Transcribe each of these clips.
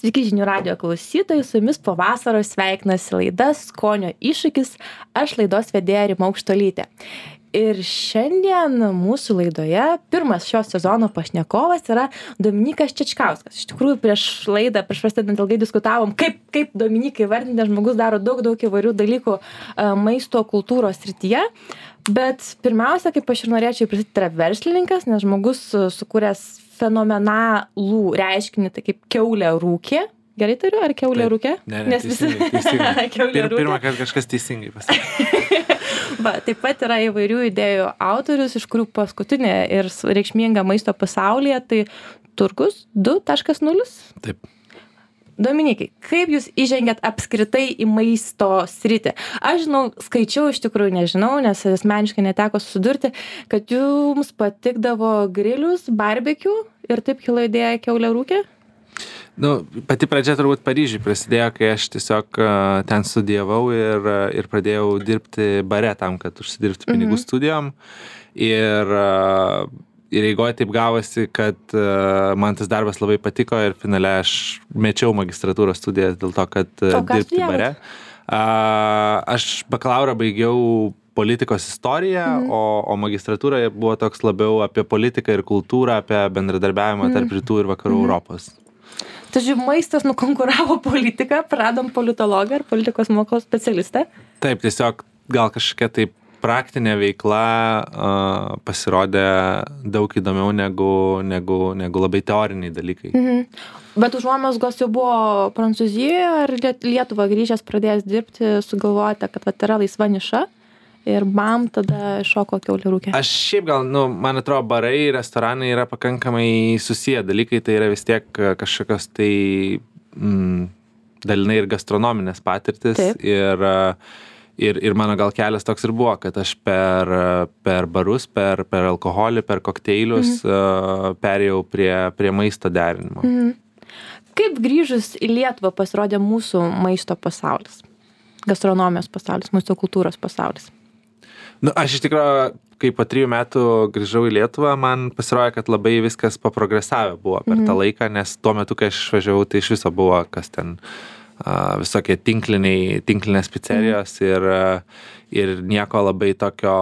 Sveiki žinių radijo klausytojai, su jumis po vasaros sveikinasi laida Skonio iššūkis, aš laidos vedėja Rima Aukštuolytė. Ir šiandien mūsų laidoje pirmas šio sezono pašnekovas yra Dominykas Čečkauskas. Iš tikrųjų, prieš prasidedant ilgai diskutavom, kaip Dominikai vardinti, nes žmogus daro daug įvairių dalykų maisto kultūros srityje. Bet pirmiausia, kaip aš ir norėčiau pristatyti, yra verslininkas, nes žmogus sukūręs fenomenalų reiškinį, tai kaip kiaulė rūkė. Gerai turiu, ar kiaulė rūkė? Ne, nes teisingai. Pirmą kartą kažkas teisingai pasakė. Taip pat yra įvairių idėjų autorius, iš kurių paskutinė ir reikšminga maisto pasaulyje, tai Turgus 2.0. Taip. Dominikai, kaip jūs įžengėt apskritai į maisto sritį? Aš žinau, skaičiau, iš tikrųjų nežinau, nes asmeniškai neteko susidurti, kad jums patikdavo grilius, barbecue ir taip kilo idėja kiaulė rūkė? Pati pradžia turbūt Paryžiui prasidėjo, kai aš tiesiog ten studijavau ir pradėjau dirbti bare tam, kad užsidirbti pinigų studijom. Ir eigoje taip gavosi, kad man tas darbas labai patiko ir finale aš mečiau magistratūros studijas dėl to, kad dirbti bare. Aš bakalaurą baigiau politikos istoriją, o magistratūra buvo toks labiau apie politiką ir kultūrą, apie bendradarbiavimą tarp rytų ir vakarų Europos. Tai maistas nukonkuravo politiką, pradom politologą ar politikos mokslo specialistą? Taip, tiesiog gal kažkokia taip praktinė veikla pasirodė daug įdomiau negu labai teoriniai dalykai. Bet užuomazgos jau buvo Prancūzijoje ar Lietuvą grįžęs pradėjęs dirbti, sugalvojate, kad yra laisva niša ir tada šoko kiaulė rūkė? Aš šiaip gal, man atrodo, barai, restoranai yra pakankamai susiję dalykai, tai yra vis tiek kažkokios tai dalinai ir gastronominės patirtis. Ir mano gal kelias toks ir buvo, kad aš per barus, per alkoholį, per kokteilius perėjau prie maisto derinimo. Kaip grįžus į Lietuvą pasirodė mūsų maisto pasaulis? Gastronomijos pasaulis, maisto kultūros pasaulis? Aš iš tikrųjų, kai po 3 metų grįžau į Lietuvą, man pasirodė, kad labai viskas paprogresavę buvo per tą laiką, nes tuo metu, kai aš išvažiavau, tai iš viso buvo kas ten visokie tinklinės picerijos ir nieko labai tokio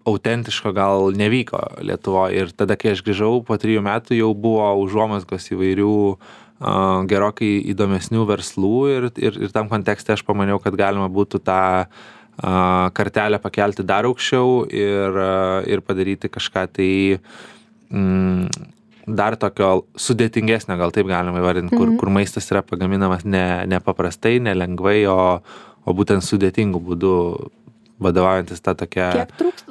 autentiško gal nevyko Lietuvoje. Ir tada, kai aš grįžau po 3 metų, jau buvo užuomazgos įvairių gerokai įdomesnių verslų ir tam kontekste aš pamaniau, kad galima būtų tą kartelę pakelti dar aukščiau ir padaryti kažką tai dar tokio sudėtingesnio, gal taip galima įvardinti, kur maistas yra pagaminamas ne paprastai, nelengvai, o būtent sudėtingų būdų vadovaujantis tą tokią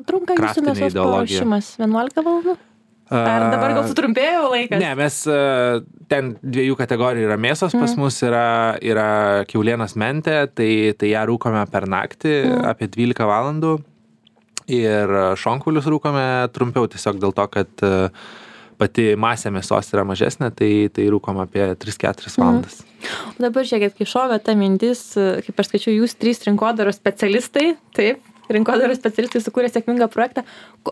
trunka jūsų mėsos paruošimas? 11 valandų? Ar dabar gal sutrumpėjo laikas? Ne, mes ten 2 kategorijų yra mėsos, pas mus yra kiaulienos mentė, tai ją rūkome per naktį apie 12 valandų ir šonkaulius rūkome trumpiau tiesiog dėl to, kad pati masė mėsos yra mažesnė, tai rūkom apie 3-4 valandas. Dabar žiūrėkit, kai šovė ta mintis, kaip aš skaičiau, jūs 3 rinkodaros specialistai, taip, rinkodaros specialistai sukūrė sėkmingą projektą.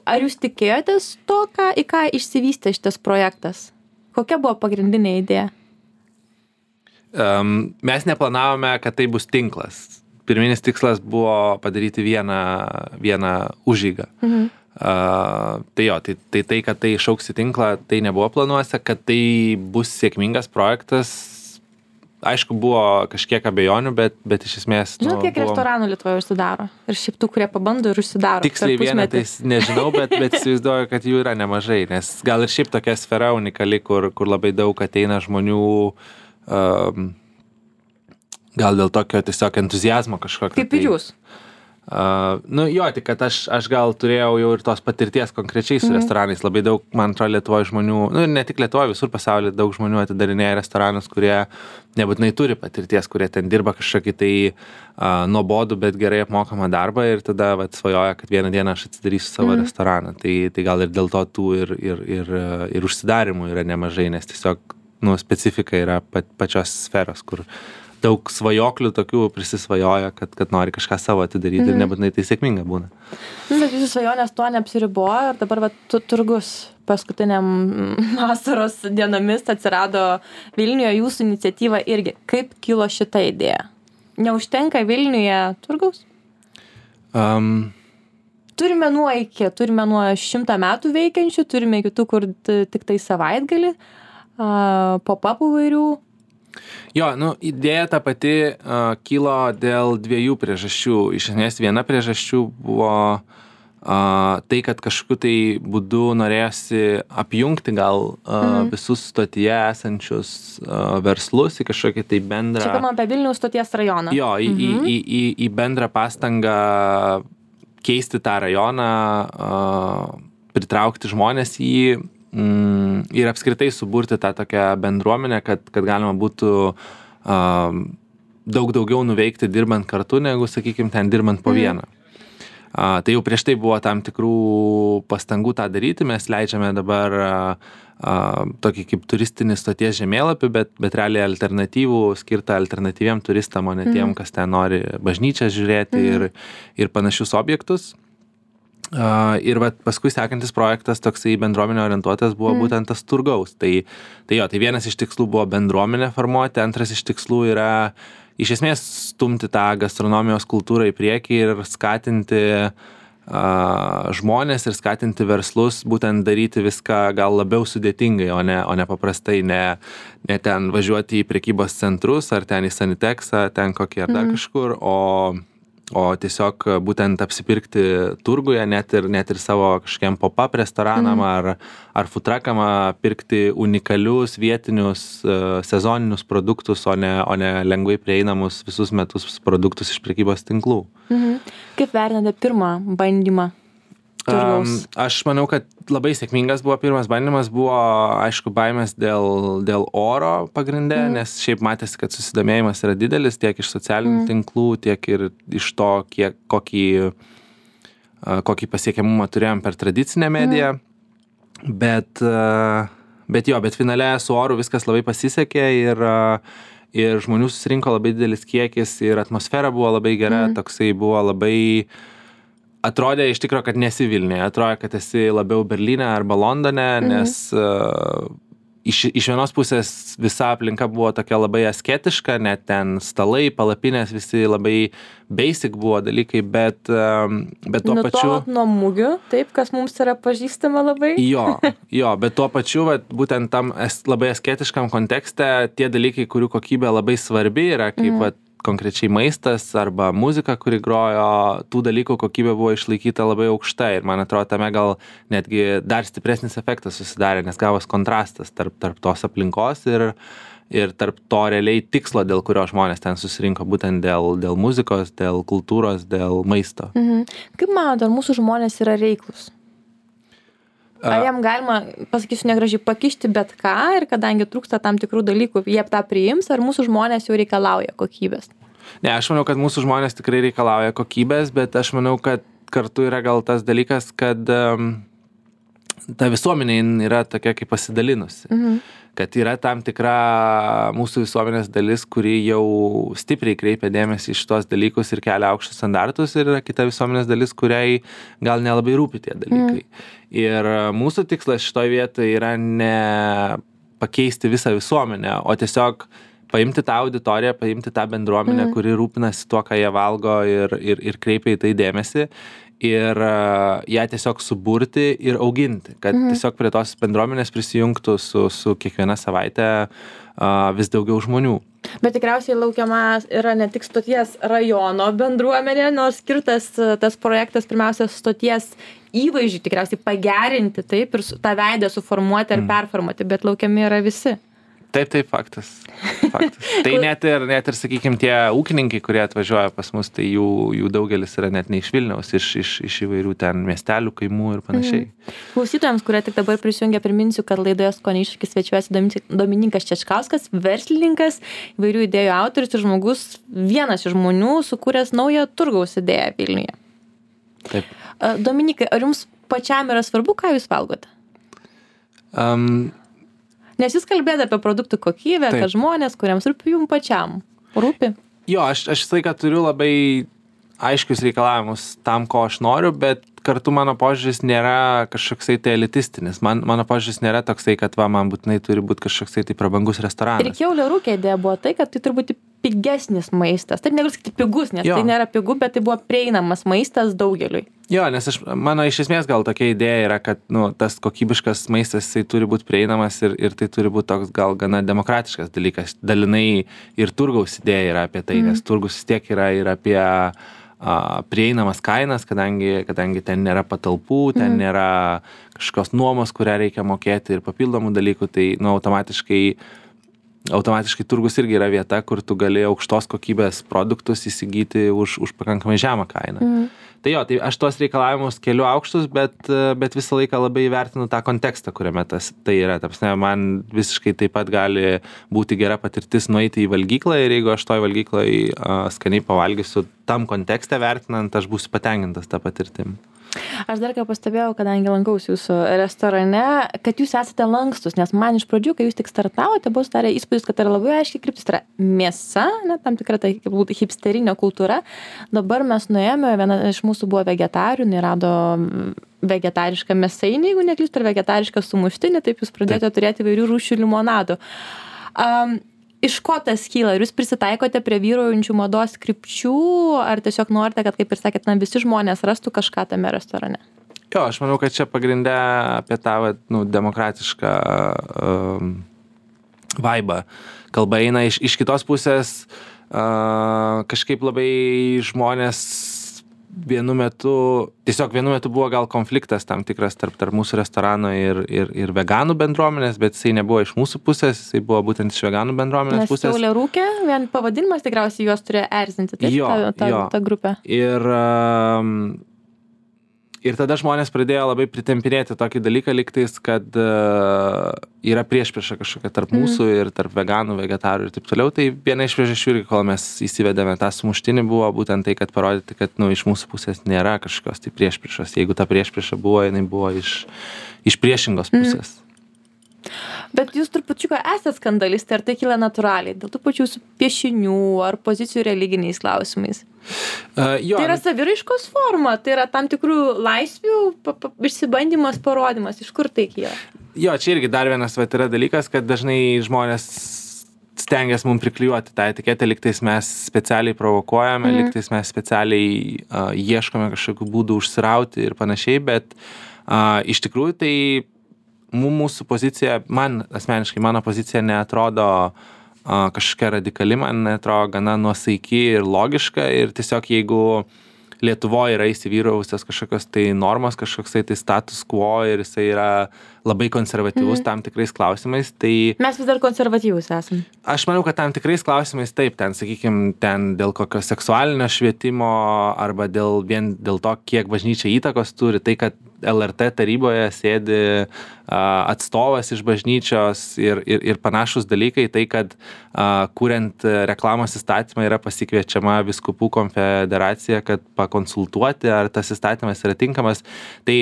Ar jūs tikėjotės to, į ką išsivystė šitas projektas? Kokia buvo pagrindinė idėja? Mes neplanavome, kad tai bus tinklas. Pirminis tikslas buvo padaryti vieną užeigą. Tai, kad tai išaugs į tinklą, tai nebuvo planuose, kad tai bus sėkmingas projektas. Aišku, buvo kažkiek abejonių, bet iš esmės... Žinot, kiek restoranų Lietuvoje užsidaro? Ir šiaip tų, kurie pabando ir užsidaro. Tiksliai vienetais nežinau, bet įsivaizduoju, kad jų yra nemažai, nes gal ir šiaip tokia sfera unikali, kur labai daug ateina žmonių, gal dėl tokio tiesiog entuziazmo kažkokio. Kaip ir jūs? Tik kad aš gal turėjau jau ir tos patirties konkrečiai su restoranais. Labai daug, man atrodo, Lietuvoje žmonių, ne tik Lietuvoje, visur pasaulyje daug žmonių atidarinėja restoranus, kurie nebūtinai turi patirties, kurie ten dirba kažkokį tai nuobodų, bet gerai apmokamą darbą ir tada svajoja, kad vieną dieną aš atsidarysiu savo restoraną. Tai gal ir dėl to tų ir užsidarimų yra nemažai, nes tiesiog specifika yra pačios sferos, kur daug svajoklių tokių prisisvajoja, kad nori kažką savo atidaryti ir nebūtinai tai sėkminga būna. Bet jūsų svajonės tuo neapsiribojo ir dabar Turgus paskutiniam vasaros dienomis atsirado Vilniuje jūsų iniciatyva irgi. Kaip kilo šita idėja? Neužtenka Vilniuje turgaus? Turime nuo 100 metų veikiančių, turime kitų, kur tik tai savaitgalį, pop-upų vairių. Jo, idėja ta pati kilo dėl dviejų priežasčių. Iš esmės viena priežasčių buvo tai, kad kažkokiu tai būdu norėjosi apjungti gal visus stotyje esančius verslus į kažkokį tai bendrą... Čia kalbam apie Vilniaus stoties rajoną. Jo, į bendrą pastangą keisti tą rajoną, pritraukti žmonės į jį ir apskritai suburti tą tokią bendruomenę, kad galima būtų daug daugiau nuveikti dirbant kartu, negu, sakykime, ten dirbant po vieną. Tai jau prieš tai buvo tam tikrų pastangų tą daryti, mes leidžiame dabar tokį kaip turistinį stoties žemėlapį, bet realiai alternatyvų skirtą alternatyviem turistam, o ne tiem, kas ten nori bažnyčią žiūrėti ir panašius objektus. Ir paskui sekantis projektas toksai bendruomenė orientuotas buvo būtent tas turgaus. Tai vienas iš tikslų buvo bendruomenę formuoti, antras iš tikslų yra iš esmės stumti tą gastronomijos kultūrą į priekį ir skatinti žmonės ir skatinti verslus būtent daryti viską gal labiau sudėtingai, o ne paprastai, ne ten važiuoti į prekybos centrus ar ten į Sanitexą, ten kokį ar dar kažkur, o tiesiog būtent apsipirkti turguje, net ir savo kažkokiam pop-up restoranam ar food truckam pirkti unikalius vietinius sezoninius produktus, o ne lengvai prieinamus visus metus produktus iš prekybos tinklų. Kaip vertinate pirmą bandymą turgaus? Aš manau, kad labai sėkmingas buvo pirmas bandymas, buvo aišku baimės dėl oro pagrinde, nes šiaip matėsi, kad susidomėjimas yra didelis tiek iš socialinių tinklų, tiek ir iš to, kokį pasiekiamumą turėjom per tradicinę mediją. Bet finale su oru viskas labai pasisekė ir žmonių susirinko labai didelis kiekis ir atmosfera buvo labai gera, toksai buvo labai... Atrodė iš tikro, kad nesi Vilniuje, atrodė, kad esi labiau Berlyne arba Londone, nes iš vienos pusės visa aplinka buvo tokia labai asketiška, net ten stalai, palapinės, visi labai basic buvo dalykai, bet tuo pačiu... Nutolot nuo mugių, taip, kas mums yra pažįstama labai. Jo, bet tuo pačiu, būtent tam labai asketiškam kontekste, tie dalykai, kurių kokybė labai svarbi yra, kaip konkrečiai maistas arba muzika, kuri grojo, tų dalykų kokybė buvo išlaikyta labai aukšta ir man atrodo, tame gal netgi dar stipresnis efektas susidarė, nes gavos kontrastas tarp tos aplinkos ir tarp to realiai tikslo, dėl kurio žmonės ten susirinko, būtent dėl muzikos, dėl kultūros, dėl maisto. Kaip manote, ar mūsų žmonės yra reiklus? Ar jam galima, pasakysiu negražiai, pakišti bet ką ir kadangi trūksta tam tikrų dalykų, jie tą priims, ar mūsų žmonės jau reikalauja kokybės? Ne, aš manau, kad mūsų žmonės tikrai reikalauja kokybės, bet aš manau, kad kartu yra gal tas dalykas, kad ta visuomenė yra tokia kaip pasidalinusi. Kad yra tam tikra mūsų visuomenės dalis, kuri jau stipriai kreipia dėmesį į šitos dalykus ir kelia aukštus standartus, ir yra kita visuomenės dalis, kuriai gal nelabai rūpi tie dalykai. Ir mūsų tikslas šitoje vietoje yra ne pakeisti visą visuomenę, o tiesiog paimti tą auditoriją, paimti tą bendruomenę, kuri rūpinasi tuo, ką jie valgo ir kreipia į tai dėmesį. Ir ją tiesiog suburti ir auginti, kad tiesiog prie tos bendruomenės prisijungtų su kiekviena savaitė vis daugiau žmonių. Bet tikriausiai laukiama yra ne tik stoties rajono bendruomenė, nors skirtas tas projektas pirmiausia stoties įvaizdžiui tikriausiai pagerinti, taip, ir tą veidą suformuoti ar performuoti, bet laukiami yra visi. Taip, faktas. Tai net ir, sakykime, tie ūkininkai, kurie atvažiuoja pas mus, tai jų daugelis yra net ne iš Vilniaus, iš įvairių ten miestelių, kaimų ir panašiai. Klausytojams, kurie tik dabar prisijungia, priminsiu, kad laidoje Skonio iššūkis svečiuojasi Dominykas Čečkauskas, verslininkas, įvairių idėjų autorius ir žmogus, vienas iš žmonių, sukūręs naują turgaus idėją Vilniuje. Taip. Dominikai, ar jums pačiam yra svarbu, ką jūs valgote? Nes jūs kalbėjote apie produktų kokybę, kad žmonės, kuriems rūpi, jums pačiam rūpi. Jo, aš visą laiką turiu labai aiškius reikalavimus tam, ko aš noriu, bet kartu mano požiūris nėra kažkoksai tai elitistinis. Mano požiūris nėra toksai, kad man būtinai turi būti kažkoksai tai prabangus restoranas. Ir Kiaulio Rūke idėja buvo tai, kad tai turi būti pigesnis maistas. Taip negaliu sakyti pigus, nes tai nėra pigu, bet tai buvo prieinamas maistas daugeliui. Jo, nes mano iš esmės gal tokia idėja yra, kad tas kokybiškas maistas jisai turi būti prieinamas ir tai turi būti toks gal gana demokratiškas dalykas. Dalinai ir turgaus idėja yra apie tai, nes turgus vis tiek yra ir apie prieinamas kainas, kadangi ten nėra patalpų, ten nėra kažkokios nuomos, kurią reikia mokėti ir papildomų dalykų, tai automatiškai turgus irgi yra vieta, kur tu gali aukštos kokybės produktus įsigyti už pakankamai žemą kainą. Tai jo, tai aš tuos reikalavimus keliu aukštus, bet visą laiką labai vertinu tą kontekstą, kuriame tai yra. Tapsne, man visiškai taip pat gali būti gera patirtis nueiti į valgyklą ir jeigu aš toj valgykloj skaniai pavalgysiu tam kontekste vertinant, aš būsiu patenkintas tą patirtim. Aš dar ką pastebėjau, kadangi lankausi jūsų restorane, kad jūs esate lankstus, nes man iš pradžių, kai jūs tik startavote, buvo sudarę įspūdis, kad tai yra labai aiškiai kryptis, tai yra mėsa, tam tikra tai hipsterinė kultūra. Dabar mes nuėjome, viena iš mūsų buvo vegetarių, nerado vegetarišką mėsainį, jeigu neklystu, ar vegetarišką sumuštinį, taip jūs pradėjote turėti įvairių rūšių limonadų. Iš ko tas kyla? Ar jūs prisitaikote prie vyraujančių mados krypčių, ar tiesiog norite, kad, kaip ir sakėt, visi žmonės rastų kažką tame restorane? Jo, aš manau, kad čia pagrinde apie tą demokratišką vaibą. Kalba eina iš kitos pusės, kažkaip labai žmonės vienu metu buvo gal konfliktas tam tikras tarp mūsų restorano ir veganų bendruomenės, bet jisai nebuvo iš mūsų pusės, jisai buvo būtent iš veganų bendruomenės pusės. Nes Kiaulio Rūke, vien pavadinimas tikriausiai juos turėjo erzinti, ta grupė. Ir tada žmonės pradėjo labai pritempinėti tokį dalyką, lygtais, kad yra priešprieša kažkokia tarp mūsų ir tarp veganų, vegetarų ir taip toliau. Tai viena iš priežasčių, kol mes įsivedėme tą sumuštinį, buvo būtent tai, kad parodyti, kad iš mūsų pusės nėra kažkokios tai priešpriešos. Jeigu ta priešprieša buvo, jinai buvo iš priešingos pusės. Bet jūs trupučiuką esate skandalistai, ar tai kyla natūraliai, dėl tų pačių piešinių ar pozicijų religiniais klausimais? Tai yra saviraiškos forma, tai yra tam tikrų laisvių išsibandymas, parodimas, iš kur tai kyla? Jo, čia irgi dar vienas yra dalykas, kad dažnai žmonės stengiasi mums priklijuoti tą etiketę, lygtais mes specialiai provokuojame, lygtais mes specialiai ieškome kažkokių būdų užsirauti ir panašiai, bet iš tikrųjų tai mūsų pozicija, man asmeniškai, mano pozicija neatrodo kažkokia radikali, man neatrodo gana nuosaiki ir logiška ir tiesiog jeigu Lietuvoje yra įsivyravusios kažkokios tai normos, kažkoks tai status quo ir jisai yra labai konservatyvus tam tikrais klausimais, tai... Mes vis dar konservatyvūs esame. Aš manau, kad tam tikrais klausimais taip, ten, sakykime, ten dėl kokio seksualinio švietimo arba vien dėl to, kiek bažnyčia įtakos turi, tai, kad LRT taryboje sėdi atstovas iš bažnyčios ir panašus dalykai, tai, kad kuriant reklamos įstatymą yra pasikviečiama vyskupų konfederacija, kad pakonsultuoti, ar tas įstatymas yra tinkamas. Tai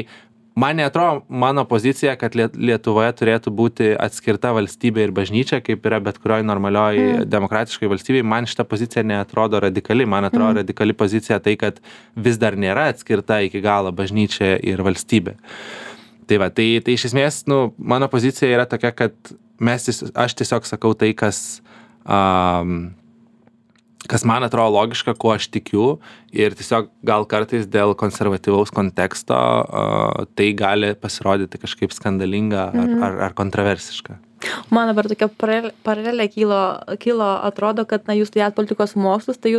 man neatrodo mano pozicija, kad Lietuvoje turėtų būti atskirta valstybė ir bažnyčia, kaip yra bet kurioj normalioj demokratiškai valstybei. Man šita pozicija neatrodo radikali. Man atrodo radikali pozicija tai, kad vis dar nėra atskirta iki galo bažnyčia ir valstybė. Tai va, tai iš esmės, mano pozicija yra tokia, kad aš tiesiog sakau tai, kas man atrodo logiška, kuo aš tikiu ir tiesiog gal kartais dėl konservatyvaus konteksto tai gali pasirodyti kažkaip skandalinga ar kontroversiška. Man dabar tokia paralelė kilo, atrodo, kad jūs studijat politikos mokslus, tai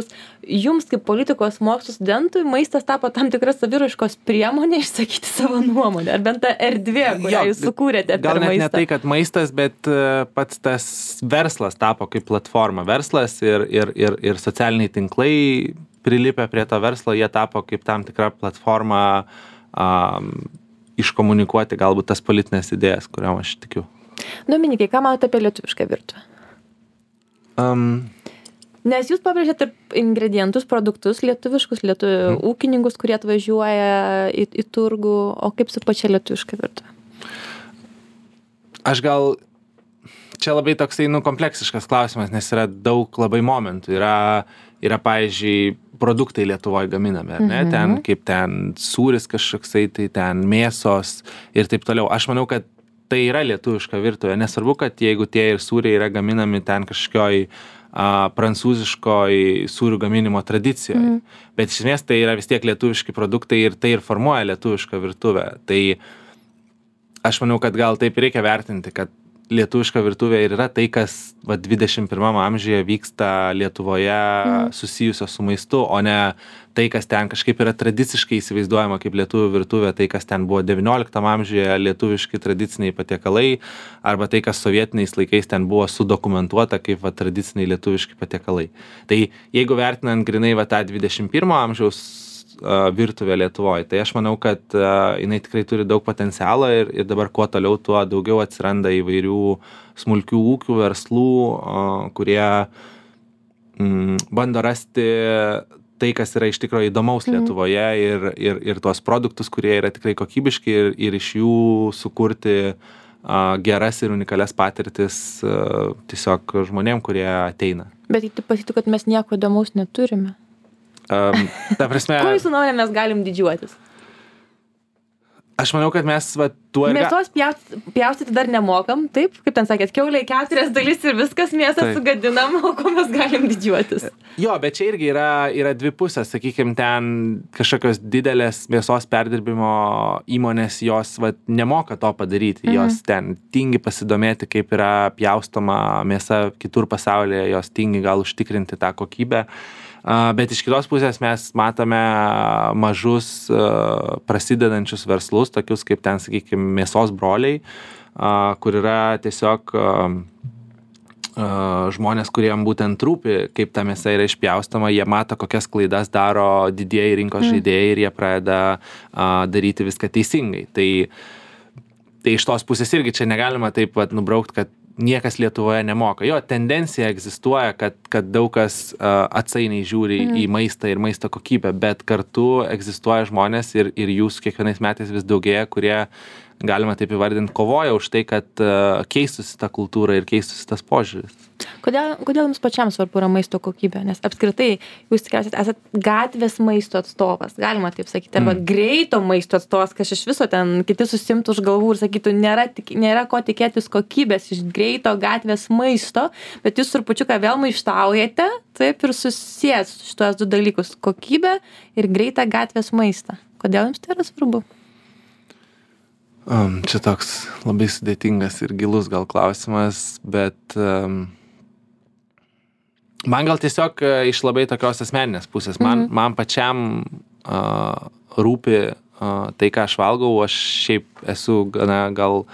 jums kaip politikos mokslų studentui maistas tapo tam tikras saviraiškos priemonė išsakyti savo nuomonę, ar bent ta erdvė, kurią jūs sukūrėte per maistą. Gal net ne tai, kad maistas, bet pats tas verslas tapo kaip platforma. Verslas ir socialiniai tinklai prilipę prie to verslo, jie tapo kaip tam tikra platforma iškomunikuoti galbūt tas politinės idėjas, kuriam aš tikiu. Dominikai, ką manote apie lietuvišką virtuvę? Nes jūs pabrėžėte ingredientus, produktus lietuviškus, ūkininkus, kurie atvažiuoja į turgų, o kaip su pačia lietuviška virtuvė? Aš gal čia labai toksai, kompleksiškas klausimas, nes yra daug labai momentų. Yra pavyzdžiui, produktai Lietuvoje gaminami, ar ne? Ten, kaip ten sūris kažkoksai, tai ten mėsos ir taip toliau. Aš manau, kad tai yra lietuviška virtuvė. Nesvarbu, kad jeigu tie ir sūriai yra gaminami ten kažkokioj prancūziškoj sūrių gaminimo tradicijoje. Bet iš esmės tai yra vis tiek lietuviški produktai ir tai ir formuoja lietuvišką virtuvę. Tai aš manau, kad gal taip reikia vertinti, kad lietuviška virtuvė ir yra tai, kas 21 amžiuje vyksta Lietuvoje susijusio su maistu, o ne tai, kas ten kažkaip yra tradiciškai įsivaizduojama kaip lietuvių virtuvė, tai, kas ten buvo 19 amžiuje lietuviški tradiciniai patiekalai, arba tai, kas sovietiniais laikais ten buvo sudokumentuota kaip tradiciniai lietuviški patiekalai. Tai jeigu vertinant grinai tą 21 amžiaus virtuvė Lietuvoje. Tai aš manau, kad jinai tikrai turi daug potencialo ir dabar kuo toliau, tuo daugiau atsiranda įvairių smulkių ūkių, verslų, kurie bando rasti tai, kas yra iš tikrųjų įdomaus Lietuvoje ir tuos produktus, kurie yra tikrai kokybiški ir iš jų sukurti geras ir unikalias patirtis tiesiog žmonėm, kurie ateina. Bet tai pasakytų, kad mes nieko įdomaus neturime. Ta prasme... Ko jūsų nuomonė mes galim didžiuotis? Aš manau, kad mes tuo ir... Mėsos pjaustyti dar nemokam, taip? Kaip ten sakėt, kiauliai 4 dalis ir viskas mėsą sugadinam, o ko mes galim didžiuotis? Jo, bet čia irgi yra dvi pusės. Sakykime, ten kažkokios didelės mėsos perdirbimo įmonės, jos nemoka to padaryti. Jos ten tingi pasidomėti, kaip yra pjaustoma mėsa kitur pasaulyje, jos tingi gal užtikrinti tą kokybę. Bet iš kitos pusės mes matome mažus prasidedančius verslus, tokius kaip ten, sakykime, mėsos broliai, kur yra tiesiog žmonės, kuriem būtent rūpi, kaip ta mėsa yra išpjaustoma, jie mato, kokias klaidas daro didieji rinkos žaidėjai ir jie pradeda daryti viską teisingai. Tai iš tos pusės irgi čia negalima taip nubraukti, kad niekas Lietuvoje nemoka. Jo, tendencija egzistuoja, kad daug kas atsainiai žiūri į maistą ir maisto kokybę, bet kartu egzistuoja žmonės ir jūs kiekvienais metais vis daugėja, kurie, galima taip įvardinti, kovoja už tai, kad keistųsi ta kultūra ir keistųsi tas požiūris. Kodėl jums pačiam svarbu yra maisto kokybė? Nes apskritai jūs tikriausiai esate gatvės maisto atstovas, galima taip sakyti, arba greito maisto atstovas, kas iš viso ten kiti susimtų už galvų ir sakytų, nėra ko tikėtis kokybės iš greito gatvės maisto, bet jūs trupučiuką vėl maištaujate, taip, ir susijęs šitos du dalykus - kokybę ir greitą gatvės maistą. Kodėl jums tai yra svarbu? Čia toks labai sudėtingas ir gilus gal klausimas, bet man gal tiesiog iš labai tokios asmeninės pusės. Man pačiam rūpi tai, ką aš valgau. Aš šiaip esu gana gal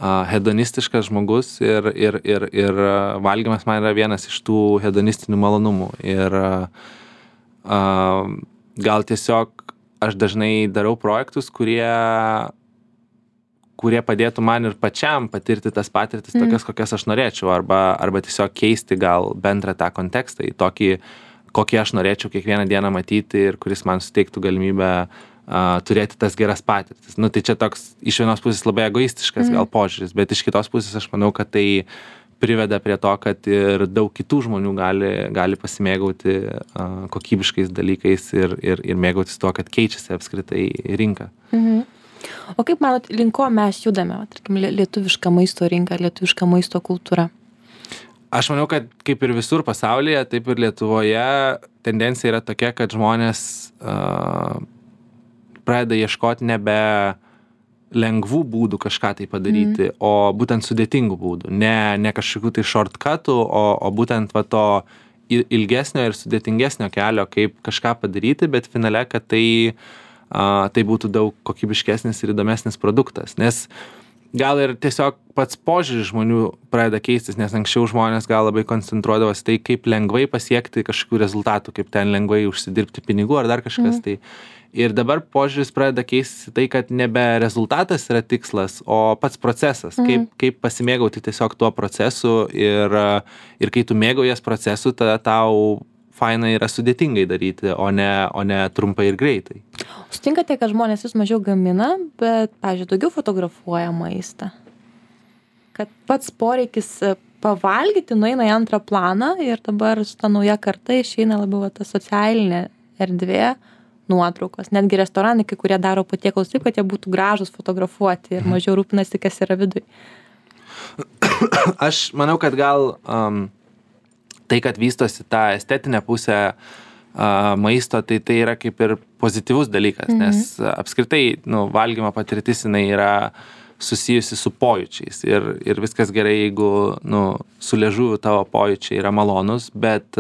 hedonistiškas žmogus ir valgymas man yra vienas iš tų hedonistinių malonumų. Ir gal tiesiog aš dažnai darau projektus, kurie padėtų man ir pačiam patirti tas patirtis tokias, kokias aš norėčiau, arba tiesiog keisti gal bendrą tą kontekstą į tokį, kokį aš norėčiau kiekvieną dieną matyti ir kuris man suteiktų galimybę turėti tas geras patirtis. Tai čia toks iš vienos pusės labai egoistiškas gal požiūris, bet iš kitos pusės aš manau, kad tai priveda prie to, kad ir daug kitų žmonių gali pasimėgauti kokybiškais dalykais ir mėgautis tuo, kad keičiasi apskritai rinka. O kaip manot, link ko mes judame, tarkim, lietuviška maisto rinka, lietuviška maisto kultūra? Aš manau, kad kaip ir visur pasaulyje, taip ir Lietuvoje tendencija yra tokia, kad žmonės pradeda ieškoti nebe lengvų būdų kažką tai padaryti, o būtent sudėtingų būdų. Ne kažkokių tai shortcutų, o būtent to ilgesnio ir sudėtingesnio kelio, kaip kažką padaryti, bet finale, kad tai būtų daug kokybiškesnis ir įdomesnis produktas. Nes gal ir tiesiog pats požiūris žmonių pradeda keistis, nes anksčiau žmonės gal labai koncentruodavosi tai, kaip lengvai pasiekti kažkokių rezultatų, kaip ten lengvai užsidirbti pinigų ar dar kažkas. Tai. Ir dabar požiūris pradeda keistis tai, kad nebe rezultatas yra tikslas, o pats procesas. Kaip pasimėgauti tiesiog tuo procesu ir kai tu mėgaujies procesu, tada tau faina yra sudėtingai daryti, o ne trumpai ir greitai. Sutinkate, kad žmonės vis mažiau gamina, bet, pavyzdžiui, daugiau fotografuoja maistą? kad pats poreikis pavalgyti nueina į antrą planą ir dabar su ta nauja karta išeina labiau ta socialinė erdvė, nuotraukos. Netgi restoranai, kai kurie daro patiekalus taip, kad jie būtų gražus fotografuoti ir mažiau rūpinasi, kas yra viduj. Aš manau, kad gal tai, kad vystosi ta estetinė pusė maisto, tai yra kaip ir pozityvus dalykas, nes apskritai valgymo patirtis jinai yra susijusi su pojūčiais ir viskas gerai, jeigu su liežuviu tavo pojūčiai yra malonus, bet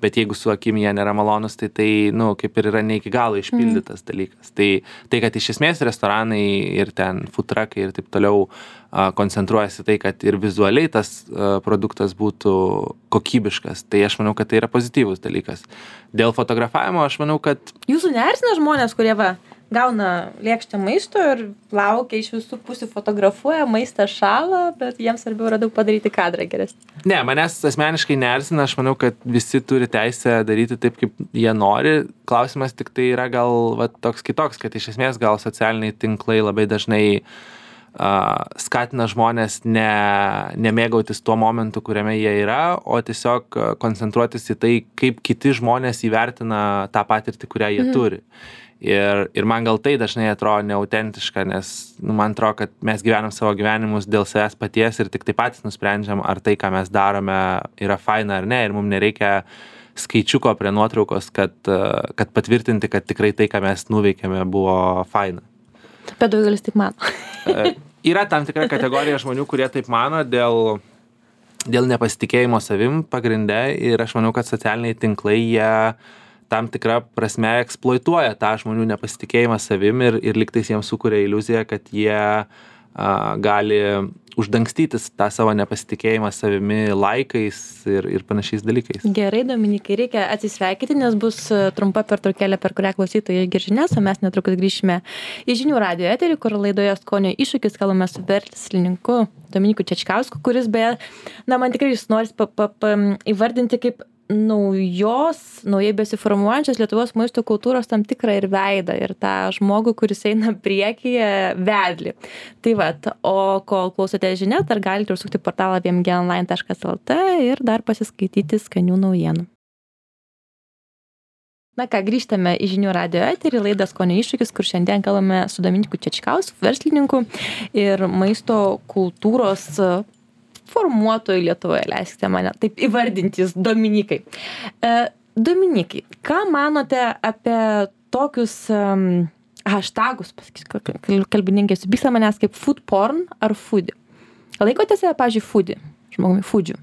jeigu su akim jie nėra malonus, tai kaip ir yra ne iki galo išpildytas dalykas. Tai, kad iš esmės restoranai ir ten food truckai ir taip toliau koncentruojasi tai, kad ir vizualiai tas produktas būtų kokybiškas, tai aš manau, kad tai yra pozityvus dalykas. Dėl fotografavimo aš manau, kad... Jūsų neerzina žmonės, kurie gauna lėkštę maisto ir laukia iš visų pusių, fotografuoja, maistas šąla, bet jiems svarbiau yra daug padaryti kadrą geresnį. Ne, manęs asmeniškai neerzina, aš manau, kad visi turi teisę daryti taip, kaip jie nori. Klausimas tik tai yra gal toks kitoks, kad iš esmės gal socialiniai tinklai labai dažnai skatina žmonės nemėgautis tuo momentu, kuriame jie yra, o tiesiog koncentruotis į tai, kaip kiti žmonės įvertina tą patirtį, kurią jie turi. Ir man gal tai dažnai atrodo neautentiška, nes man atrodo, kad mes gyvenam savo gyvenimus dėl savęs paties ir tik tai patys nusprendžiam, ar tai, ką mes darome, yra faina ar ne. Ir mums nereikia skaičiuko prie nuotraukos, kad patvirtinti, kad tikrai tai, ką mes nuveikėme, buvo faina. Bet daugelis taip mano. Yra tam tikra kategorija žmonių, kurie taip mano dėl nepasitikėjimo savim pagrinde. Ir aš manau, kad socialiniai tinklai jie tam tikrą prasme eksploituoja tą žmonių nepasitikėjimą savim ir lygtais jiems sukuria iliuziją, kad jie gali uždangstytis tą savo nepasitikėjimą savimi laikais ir panašiais dalykais. Gerai, Dominikai, reikia atsisveikyti, nes bus trumpa pertraukėlė, per kurią klausytojai išgirs žinias, o mes netrukus grįšime į žinių radijo eterį, kur laidoje Skonio iššūkis kalbame su verslininku Dominiku Čečkausku, kuris beje, man tikrai jūs noris įvardinti kaip naujai besiformuojančios Lietuvos maisto kultūros tam tikrą ir veidą ir tą žmogų, kuris eina priekyje vedlį. Tai o kol klausote žinias, dar galite užsukti portalą vmgonline.lt ir dar pasiskaityti skanių naujienų. Na ką, grįžtame į žinių radijo eterį, laidą Skonio iššūkis, kur šiandien kalbame su Dominiku Čečkausku, verslininku ir maisto kultūros formuotojų Lietuvoje, leiskite mane taip įvardintis, Dominikai. Dominikai, ką manote apie tokius hashtagus, kalbininkai supyksta manęs kaip food porn ar foodie? Laikote save, pavyzdžiui, foodie, žmogumi, foodžiu?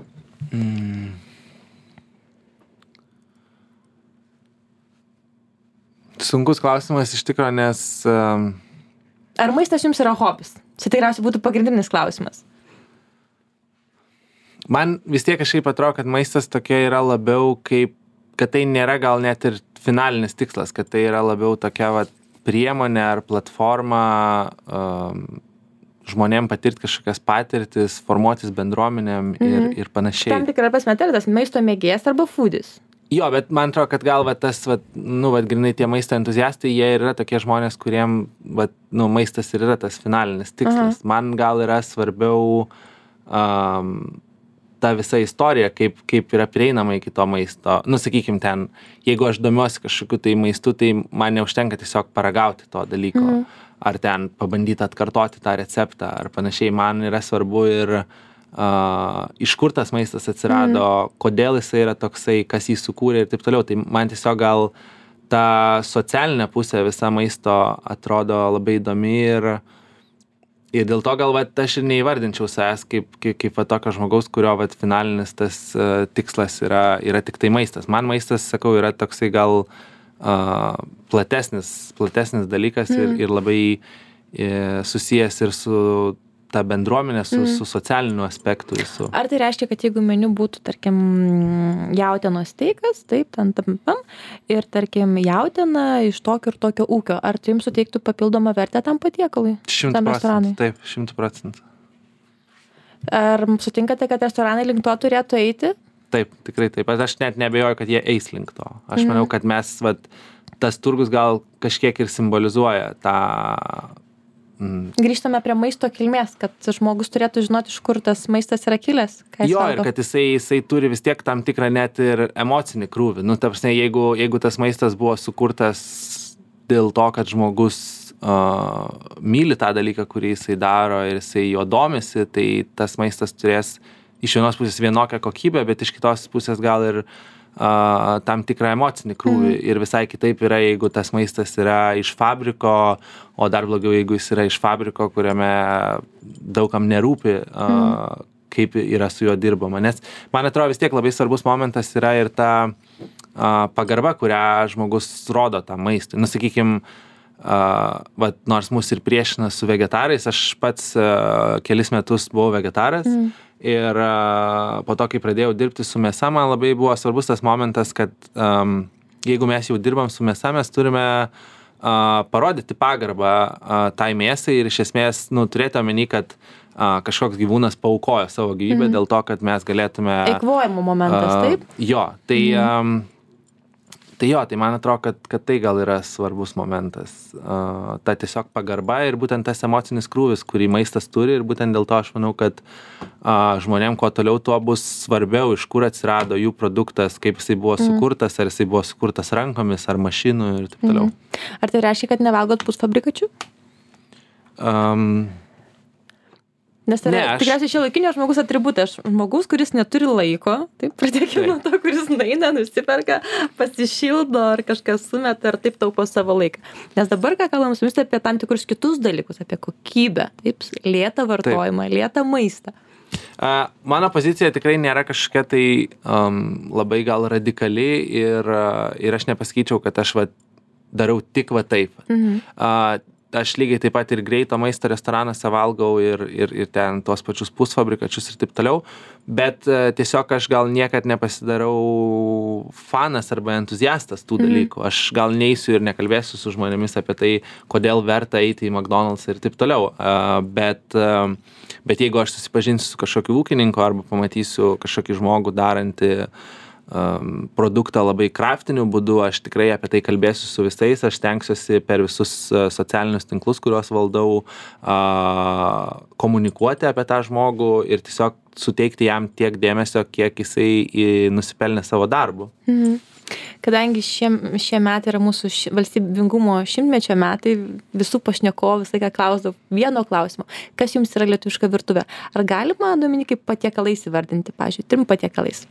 Sunkus klausimas iš tikro, nes... Ar maistas jums yra hobis? Čia tikriausiai būtų pagrindinis klausimas. Man vis tiek kažkaip atrodo, kad maistas tokia yra labiau kaip, kad tai nėra gal net ir finalinis tikslas, kad tai yra labiau tokia priemonė ar platforma žmonėm patirti kažkokias patirtis, formuotis bendruomenėm ir panašiai. Tam tikra prasme, tai yra tas maisto mėgėjas arba foodis. Jo, bet man atrodo, kad gal tas, grinai tie maisto entuziastai, jie yra tokie žmonės, kuriem maistas ir yra tas finalinis tikslas. Man gal yra svarbiau ta visa istorija, kaip yra prieinama iki to maisto. Sakykim ten, jeigu aš domiuosi kažkokiu tai maistu, tai man neužtenka tiesiog paragauti to dalyko, ar ten pabandyti atkartoti tą receptą, ar panašiai. Man yra svarbu ir iš kur tas maistas atsirado, kodėl jisai yra toksai, kas jį sukūrė ir taip toliau. Tai man tiesiog gal ta socialinė pusė visa maisto atrodo labai įdomi ir dėl to gal aš ir neįvardinčiau savęs kaip tokio žmogaus, kurio finalinis tas tikslas yra tik tai maistas. Man maistas, sakau, yra toksai gal platesnis dalykas ir labai susijęs ir su ta bendruomenė, su socialiniu aspektu. Ar tai reiškia, kad jeigu meniu būtų, tarkim, jautienos steikas, taip, ir, tarkim, jautiena iš tokio ir tokio ūkio, ar tai jums suteiktų papildomą vertę tam patiekalui? 100%, taip, 100%. Ar sutinkate, kad restoranai link to turėtų eiti? Taip, tikrai taip. Aš net neabejoju, kad jie eis link to. Aš manau, kad mes, tas turgus gal kažkiek ir simbolizuoja tą Grįžtame prie maisto kilmės, kad žmogus turėtų žinoti, iš kur tas maistas yra kilęs. Jo, ir kad jisai turi vis tiek tam tikrą net ir emocinį krūvį. Nu, ta prasme, jeigu tas maistas buvo sukurtas dėl to, kad žmogus myli tą dalyką, kurį jisai daro ir jisai jo domisi, tai tas maistas turės iš vienos pusės vienokią kokybę, bet iš kitos pusės gal ir tam tikrą emocinį krūvį. Ir visai kitaip yra, jeigu tas maistas yra iš fabriko, o dar blogiau, jeigu jis yra iš fabriko, kuriame daugam nerūpi, kaip yra su juo dirbama. Nes man atrodo vis tiek labai svarbus momentas yra ir ta pagarba, kurią žmogus rodo tam maistui. Nu, sakykime, nors mus ir priešina su vegetarais, aš pats kelis metus buvau vegetaras. Ir po to, kai pradėjau dirbti su mėsa, man labai buvo svarbus tas momentas, kad jeigu mes jau dirbam su mėsa, mes turime parodyti pagarbą tai mėsai ir iš esmės turėti omeny, kad kažkoks gyvūnas paaukojo savo gyvybę dėl to, kad mes galėtume... Eikvojimo momentas, taip? Jo, tai man atrodo, kad tai gal yra svarbus momentas. Ta tiesiog pagarba ir būtent tas emocinis krūvis, kurį maistas turi ir būtent dėl to aš manau, kad žmonėm kuo toliau tuo bus svarbiau, iš kur atsirado jų produktas, kaip jisai buvo sukurtas, ar jisai buvo sukurtas rankomis, ar mašinų ir taip toliau. Ar tai reiškia, kad nevalgot pusfabrikačių? Nes tai yra tikriausiai šiuolaikinio žmogus atributas. Žmogus, kuris neturi laiko, taip, pradėkime nuo to, kuris nueina, nusiperka, pasišildo ar kažką sumeta ar taip taupo savo laiką. Nes dabar, ką kalbam su jumis apie tam tikrus kitus dalykus, apie kokybę, taip, lėtą vartojimą, lėtą maistą. Mano pozicija tikrai nėra kažkokia tai labai gal radikali ir aš nepasakyčiau, kad aš darau tik taip. Aš lygiai taip pat ir greito maisto restoranuose valgau ir ten tuos pačius pusfabrikačius ir taip toliau, bet tiesiog aš gal niekad nepasidarau fanas arba entuziastas tų dalykų. Aš gal neisiu ir nekalbėsiu su žmonėmis apie tai, kodėl verta eiti į McDonald's ir taip toliau. Bet jeigu aš susipažinsiu su kažkokiu ūkininku arba pamatysiu kažkokį žmogų darantį produktą labai kraftiniu būdu, aš tikrai apie tai kalbėsiu su visais, aš stengsiuosi per visus socialinius tinklus, kuriuos valdau, komunikuoti apie tą žmogų ir tiesiog suteikti jam tiek dėmesio, kiek jisai nusipelnė savo darbu. Kadangi šie metai yra mūsų valstybingumo 100-mečio metai, visų pašnekovų visą laiką klausdavau vieno klausimo, kas jums yra lietuviška virtuvė? Ar galima, Dominikai, patiekalais įvardinti, pavyzdžiui, 3 patiekalais?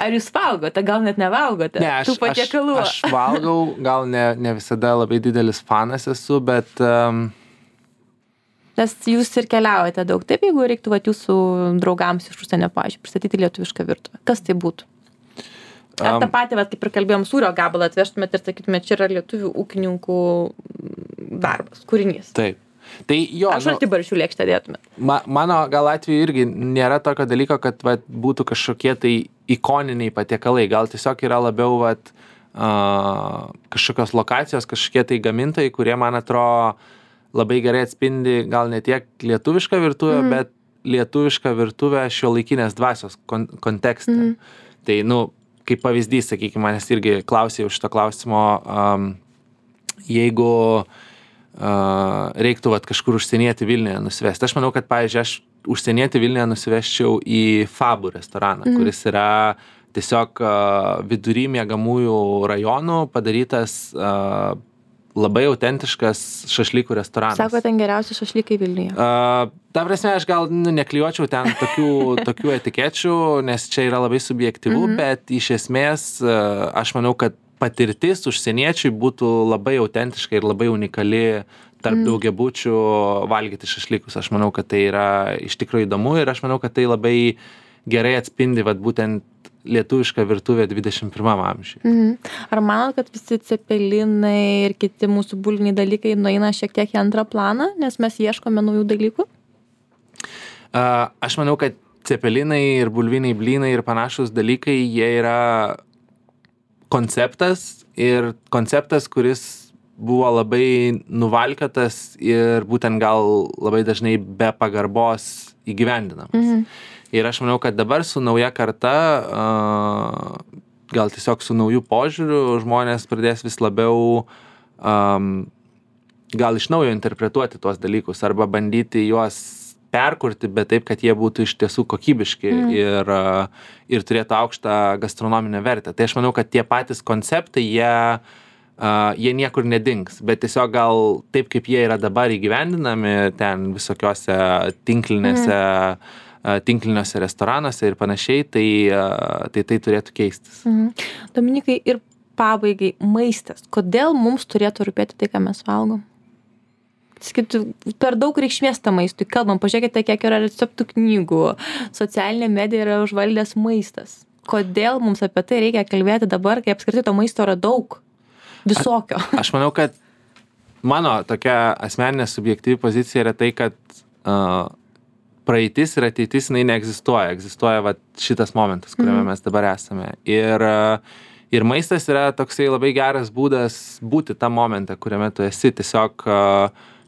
Ar jūs valgote, gal net nevalgote tų patiekalų? Aš valgau, gal ne visada labai didelis fanas esu, bet... Nes jūs ir keliaujate daug, taip, jeigu reiktų jūsų draugams iš užsienio, pavyzdžiui, pristatyti lietuvišką virtuvę. Kas tai būtų? Ar tą patį, kaip ir kalbėjom, sūrio gabalą atvežtumėt ir sakytumėt, čia yra lietuvių ūkininkų darbas, kūrinys. Taip. Tai jo, aš šaltibarščių lėkštę dėtumėt. Mano gal atveju irgi nėra tokio dalyko, kad būtų kažkokie tai ikoniniai patiekalai. Gal tiesiog yra labiau kažkokios lokacijos, kažkokie tai gamintojai, kurie, man atrodo, labai gerai atspindi gal ne tiek lietuvišką virtuvę, bet lietuvišką virtuvę šiuolaikinės dvasios kontekste. Tai, kaip pavyzdys, sakykime, manęs irgi klausė už šito klausimo, jeigu reiktų kažkur užsienietį Vilniuje nusivesti. Aš manau, kad, pavyzdžiui, aš užsienietį Vilniuje nusiveščiau į Fabų restoraną, kuris yra tiesiog vidury miegamųjų rajonų padarytas labai autentiškas šašlykų restoranas. Sako, ten geriausi šašlykai Vilniuje. Ta prasme, aš gal neklijuočiau ten tokių etikečių, nes čia yra labai subjektyvu, bet iš esmės aš manau, kad patirtis užsieniečiui būtų labai autentiška ir labai unikali tarp daugiabučių valgyti šašlykus. Aš manau, kad tai yra iš tikrųjų įdomu ir aš manau, kad tai labai gerai atspindi būtent lietuvišką virtuvę 21 amžiuje. Ar manot, kad visi cepelinai ir kiti mūsų bulviniai dalykai nueina šiek tiek į antrą planą, nes mes ieškome naujų dalykų? Aš manau, kad cepelinai ir bulviniai blynai ir panašus dalykai, jie yra konceptas, kuris buvo labai nuvalkiotas ir būtent gal labai dažnai be pagarbos įgyvendinamas. Ir aš manau, kad dabar su nauja karta, gal tiesiog su naujų požiūrių, žmonės pradės vis labiau gal iš naujo interpretuoti tuos dalykus arba bandyti juos perkurti, bet taip, kad jie būtų iš tiesų kokybiški ir turėtų aukštą gastronominę vertę. Tai aš manau, kad tie patys konceptai, jie niekur nedings, bet tiesiog gal taip, kaip jie yra dabar įgyvendinami ten visokiose tinkliniuose restoranuose ir panašiai, tai turėtų keistis. Dominikai, ir pabaigai maistas. Kodėl mums turėtų rūpėti tai, ką mes valgom? Sakytų, per daug reikšmės tam maistui. Kalbam, pažiūrėkite, kiek yra receptų knygų. Socialinė medija yra užvaldęs maistas. Kodėl mums apie tai reikia kalbėti dabar, kai apskritai to maisto yra daug? Visokio. Aš manau, kad mano tokia asmeninė subjektyvi pozicija yra tai, kad praeitis ir ateitis, jinai neegzistuoja. Egzistuoja va, šitas momentas, kuriame mes dabar esame. Ir maistas yra toksai labai geras būdas būti tą momentą, kuriame tu esi.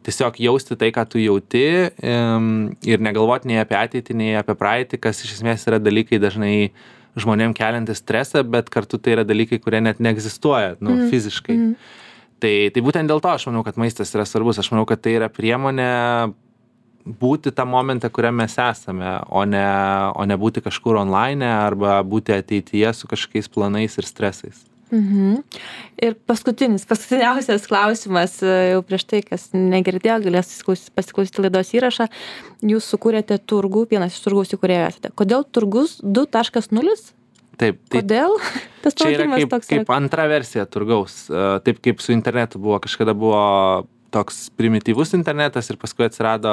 Tiesiog jausti tai, ką tu jauti ir negalvoti nei apie ateitį, nei apie praeitį, kas iš esmės yra dalykai dažnai žmonėm keliantis stresą, bet kartu tai yra dalykai, kurie net neegzistuoja fiziškai. Tai būtent dėl to aš manau, kad maistas yra svarbus. Aš manau, kad tai yra priemonė būti tą momentą, kuriame mes esame, o ne būti kažkur online arba būti ateityje su kažkokiais planais ir stresais. Ir paskutiniausias klausimas, jau prieš tai, kas negirdėjo, galės pasiklausyti laidos įrašą. Jūs sukūrėte turgų, vienas iš turgaus įkūrėjų esate. Kodėl turgus 2.0? Taip. Kodėl? Tas čia yra kaip antra versija turgaus. Taip kaip su internetu buvo. Kažkada buvo toks primityvus internetas ir paskui atsirado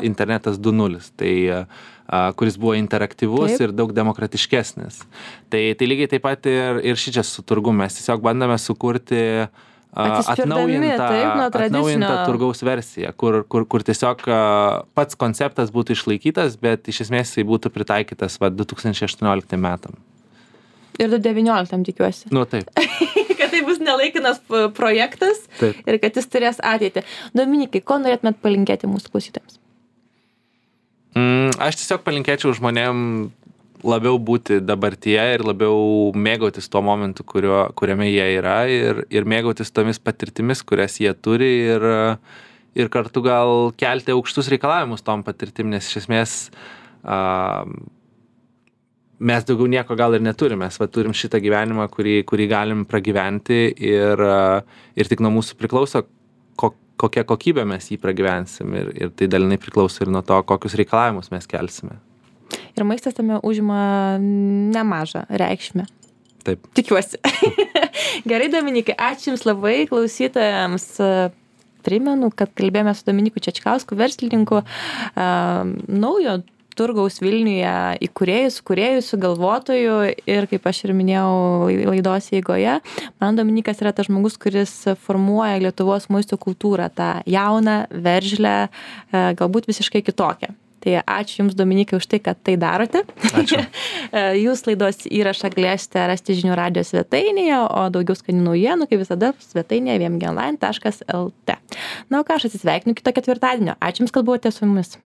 internetas 2.0. Tai kuris buvo interaktyvus ir daug demokratiškesnis. Tai lygiai taip pat ir šičia su turgu mes tiesiog bandome sukurti atnaujintą turgaus versiją, kur tiesiog pats konceptas būtų išlaikytas, bet iš esmės jisai būtų pritaikytas 2018 metam. Ir 2019 tikiuosi. Taip. Kad tai bus nelaikinas projektas ir kad jis turės ateitį. Dominikai, ko norėtumėt palinkėti mūsų klausytojams? Aš tiesiog palinkėčiau žmonėm labiau būti dabartyje ir labiau mėgautis tuo momentu, kuriame jie yra ir mėgautis tomis patirtimis, kurias jie turi ir kartu gal kelti aukštus reikalavimus tom patirtim, nes iš esmės mes daugiau nieko gal ir neturime. Mes turim šitą gyvenimą, kurį galim pragyventi ir tik nuo mūsų priklauso, kokią kokybę mes jį pragyvensim ir tai dalinai priklauso ir nuo to, kokius reikalavimus mes kelsime. Ir maistas tame užima nemažą reikšmę. Taip. Tikiuosi. Gerai, Dominikai, ačiū Jums labai, klausytojams. Primenu, kad kalbėjome su Dominiku Čečkausku, verslininku, naujo turgaus Vilniuje įkūrėjų, sugalvotojų ir, kaip aš ir minėjau laidos eigoje, man Dominikas yra tas žmogus, kuris formuoja Lietuvos maisto kultūrą, tą jauną, veržlę, galbūt visiškai kitokią. Tai ačiū Jums, Dominikai, už tai, kad tai darote. Ačiū. Jūs laidos įrašą galėsite rasti žinių radijo svetainėje, o daugiau skanių naujienų, kaip visada, svetainėje vmgonline.lt. Na, o ką aš atsisveikinu kito ketvirtadienio. Ačiū Jums, kad buvote su mumis.